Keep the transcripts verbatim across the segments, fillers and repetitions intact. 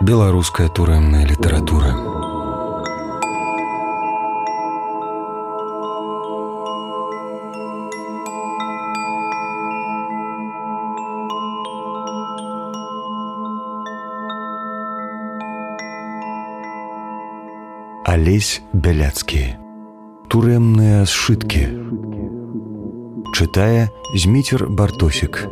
Беларуская турэмная літаратура. Алесь Бяляцкі. Турэмныя сшыткі. Чытае Зміцер Бартосік.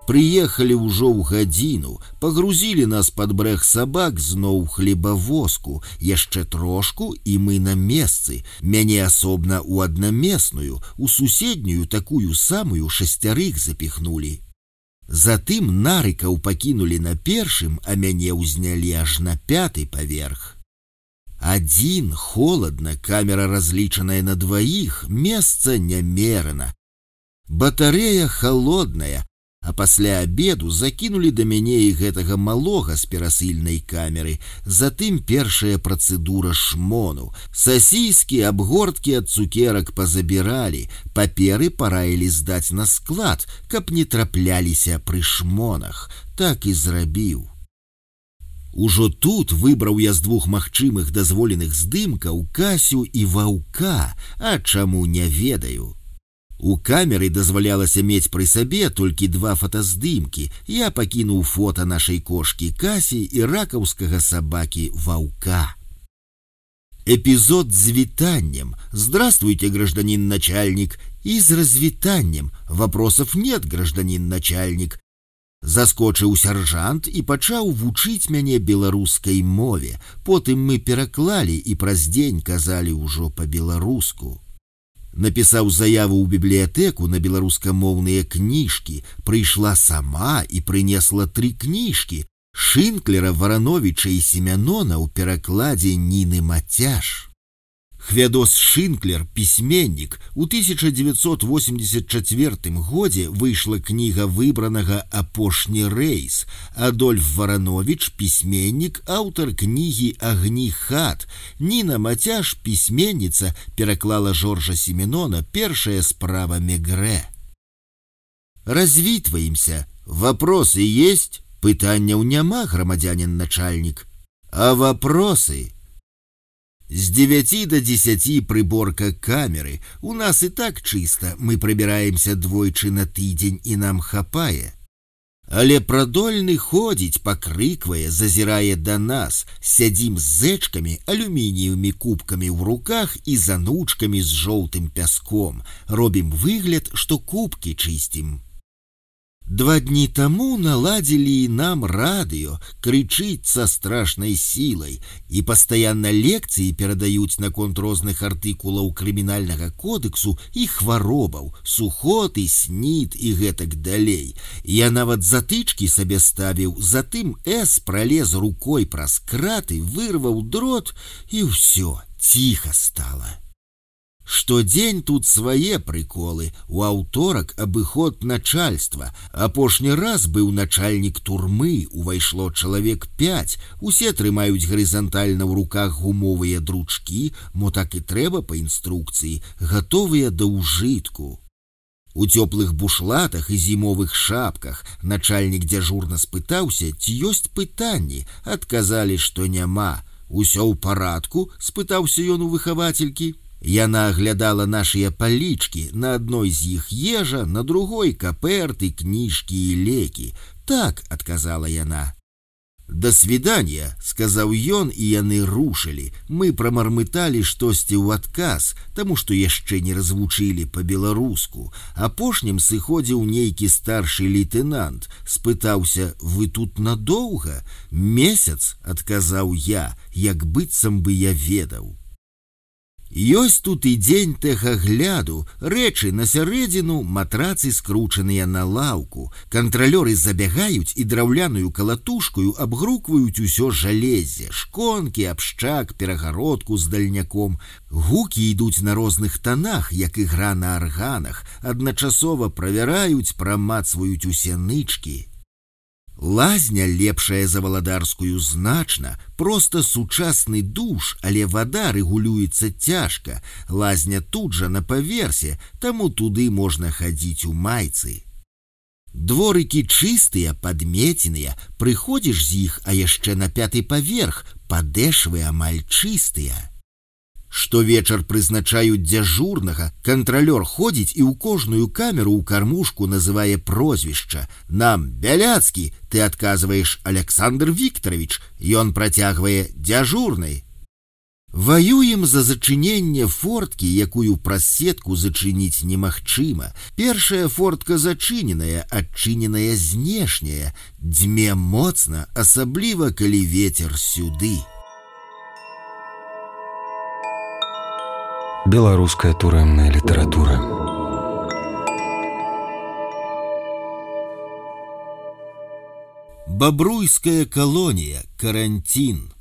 Прыехалі ўжо ў гадзіну, пагрузілі нас пад брэг сабак зноў хлебавозку, яшчэ трошку, і мы на месцы, мяне асобна ў аднамесную, у суседнюю такую самую шасцярых запіхнулі. Затым нарыкаў пакінулі на першым, а мяне ўзнялі аж на пяты паверх. Адзін, холадна, камера разлічаная на дваіх, месца нямерана. Батарэя халодная, а пасля абеду закінулі да мяне і гэтага малога з перасыльнай камеры, затым першая працэдура шмону. Сасіскі, абгорткі ад цукерак пазабіралі, паперы параілі здаць на склад, каб не трапляліся пры шмонах. Так і зрабіў. Ужо тут выбраў я з двух магчымых дазволеных здымкаў Касю і Ваўка, а чаму не ведаю. У камеры дазвалялася мець пры сабе толькі два фотаздымкі. Я пакінуў фота нашай кошкі Касі і ракаўскага сабакі Ваўка. Эпизод с витанием. Здравствуйте, гражданин начальник. И с развитанием. Вопросов нет, гражданин начальник. Заскочыў сяржант і пачаў вучыць мяне беларускай мове. Потым мы пераклалі і праз дзень казалі ўжо па-беларуску. Напісаў заяву ў бібліятэку на беларускамоўныя кніжкі, прыйшла сама і прынесла тры кніжкі Шынклера, Варановіча і Семянона ў перакладзе Ніны Мацяж. Хвядос Шынклер, пісьменнік, у тысяча девятьсот восемьдесят четвёртым годзе выйшла кніга выбранага «Апошні рэйс». Адольф Варановіч, пісьменнік, аўтар кнігі «Агні хат». Ніна Мацяж, пісьменніца, пераклала Жоржа Семенона «Першая справа Мегрэ». Развітваемся. Вопросы есть? Пытанняў няма, грамадзянин начальник. А вопросы? С девяти до десяти приборка камеры. У нас и так чисто, мы прибираемся двойчы на тыдзень и нам хапае. Але прадольны ходзіць, пакрыквае, зазірае да нас, сядзім з зэчкамі, алюмініевымі кубкамі ў руках і занучкамі з жоўтым пяском. Робім выгляд, што кубкі чысцім. Два дні таму наладзілі нам радыё, крычыць са страшнай сілай, і пастаянна лекцыі перадаюць наконт розных артыкулаў крымінальнага кодэксу і хваробаў, сухоты, снід і гэтак далей. Я нават затычкі сабе ставіў, затым эс пралез рукой праз краты, вырваў дрот, і ўсё, ціха стала. Штодзень тут свае прыколы. У аўторак абыход начальства. Апошні раз быў начальнік турмы, увайшло чалавек пяць. Усе трымаюць гарызантальна ў руках гумовыя дручкі, мо так і трэба па інструкцыі, гатовыя да ўжытку. У цёплых бушлатах і зімовых шапках начальнік дзяжурна спытаўся, ці ёсць пытанні. Адказалі, што няма. Усё ў парадку? Спытаўся ён у выхавацелькі. Яна аглядала нашыя палічкі, на адной з іх ежа, на другой каперты, кніжкі і лекі. Так, адказала яна. «До свидания», сказаў ён, і яны рушылі. Мы прамармыталі штосьці ў адказ, таму што яшчэ не развучылі па-беларуску. Апошнім сыходзіў нейкі старшы лейтенант. Спытаўся: «Вы тут надоўга?» «Месяц», адказаў я, як быццам бы я ведаў. Ёсць тут і дзень тэхагляду, рэчы на сярэдзіну, матрацы скручаныя на лаўку. Кантралёры забягаюць і драўляную калатушкаю абгрукваюць усё жалезе, шконкі, абшчак, перагародку з дальняком. Гукі ідуць на розных танах, як ігра на арганах, адначасова правяраюць, прамацваюць усе нычкі. Лазня лепшая за валадарскую значна, просто сучасны душ, але вода рэгулюецца цяжка. Лазня тут жа на паверсе, таму туды можна хадзіць у майцы. Дворыкі чыстыя, падмеценыя, прыходзіш з іх, а яшчэ на пяты паверх, падэшвы амаль чыстыя. Штовечар прызначаюць дзяжурнага, кантралёр ходзіць і ў кожную камеру ў кармушку называе прозвішча. Нам Бяляцкі, ты адказваеш Александр Викторович, ён працягвае дзяжурнай. Ваюем за зачыненне форткі, якую праз сетку зачыніць немагчыма. Першая фортка зачыненая, адчыненая знешняя. Дзьме моцна, асабліва калі вецер сюды. Беларуская турэмная літаратура. Бабруйская колония, карантин.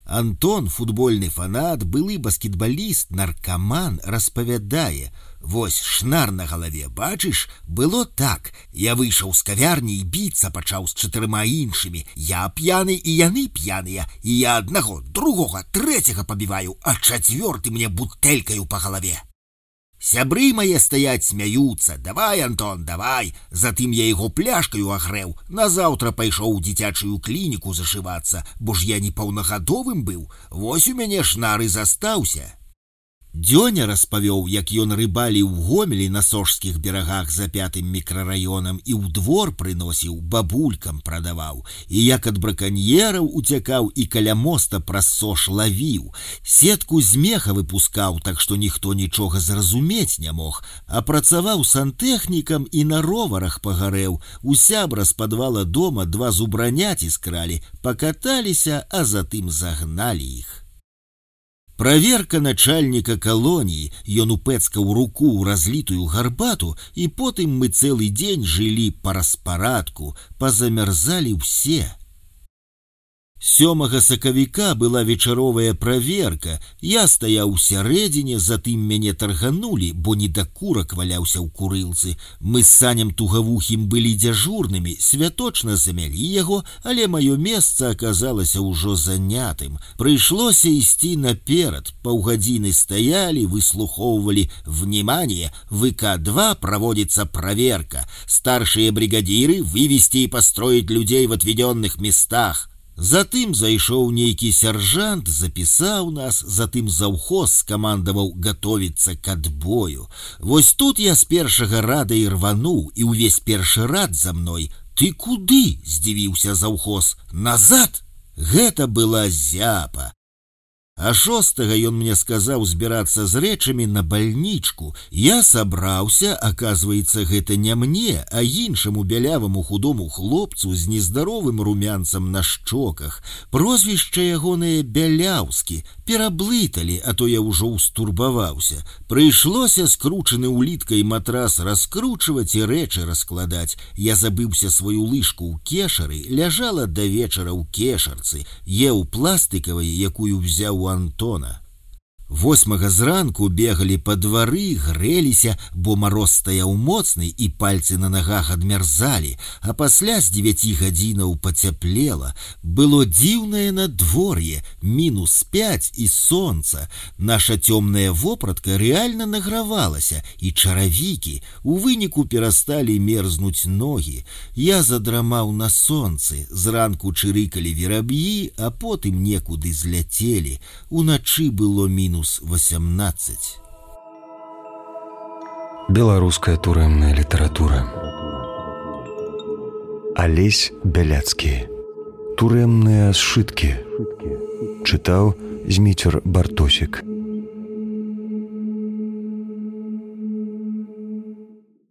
Антон, футбольны фанат, былы баскетбаліст, наркаман, распавядае: вось шнар на галаве, бачыш, было так. Я выйшаў з кавярні і біцца пачаў з чатырма іншымі. Я п'яны і яны п'яныя, і я аднаго, другога, трэцяга пабіваю, а чацвёрты мне бутэлькаю па галаве. Сябры мае стаяць смяюцца: давай, Антон, давай. Затым я яго пляшкаю агрэў. Назаўтра пайшоў у дзіцячую клініку зашывацца, бо ж я не паўнагадовым быў. Вось у мяне шнар і застаўся. Дзёня распавёў, як ён рыбаліў у Гомелі на сожскіх берагах за пятым мікрараёнам і ў двор прыносіў, бабулькам прадаваў, і як ад браканьераў уцякаў і каля моста праз сож лавіў. Сетку з меха выпускаў, так што ніхто нічога зразумець не мог, а працаваў сантэхнікам і на роварах пагарэў. У сябра з падвала дома два зубраняці скралі, пакаталіся, а затым загналі іх. Праверка начальніка калоніі, ён упэцкаў руку ў разлітую гарбату, і потым мы цэлы дзень жылі па распарадку, пазамярзалі ўсе. Сёмага сакавіка была вечаровая праверка. Я стаяў у сярэдзіне, затым мяне тарганулі, бо недакурак валяўся ў курылцы. Мы з Санем Тугавухім былі дзяжурнымі, святочна замялі яго, але маё месца аказалася ўжо занятым. Прыйшлося ісці наперад. Паўгадзіны стаялі, выслухоўвалі: «Внимание! В ИК два проводится проверка. Старшие бригадиры вывести и построить людей в отведенных местах». Затым зайшоў нейкі сяржант, запісаў нас, затым заўхоз скамандаваў гатовіцца к адбою. Вось тут я з першага рада і рвануў, і ўвесь першы рад за мной. «Ты куды?» – здзівіўся заўхоз. «Назад!» Гэта была зяпа. А шостага ён мне сказаў збірацца з рэчамі на бальнічку. Я сабраўся, аказваецца, гэта не мне, а іншаму бяляваму худому хлопцу з нездаровым румянцам на шчоках. Прозвішча ягонае Бяляўскі. Пераблыталі, а то я ўжо устурбаваўся. Прыйшлося скручаны уліткай матрас раскручваць і рэчы раскладаць. Я забыўся сваю лыжку ў кешары, ляжала да вечара ў кешарцы, еў пластыкавай, якую взяў у Антона. Восьмага зранку бегалі па двары, грэліся, бо мароз стаяў моцны і пальцы на нагах адмярзалі, а пасля з дзевяці гадзінаў пацяплела. Было дзіўнае надвор'е, мінус пяць і сонца. Наша цёмная вопратка рэальна награвалася, і чаравікі. У выніку перасталі мерзнуць ногі. Я задрамаў на сонцы, зранку чырыкалі вераб'і, а потым некуды зляцелі. Уначы было мінус восемнадцать. Беларуская турэмная літаратура. Алесь Бяляцкі. Турэмныя сшыткі. Чытаў Зміцер Бартосік.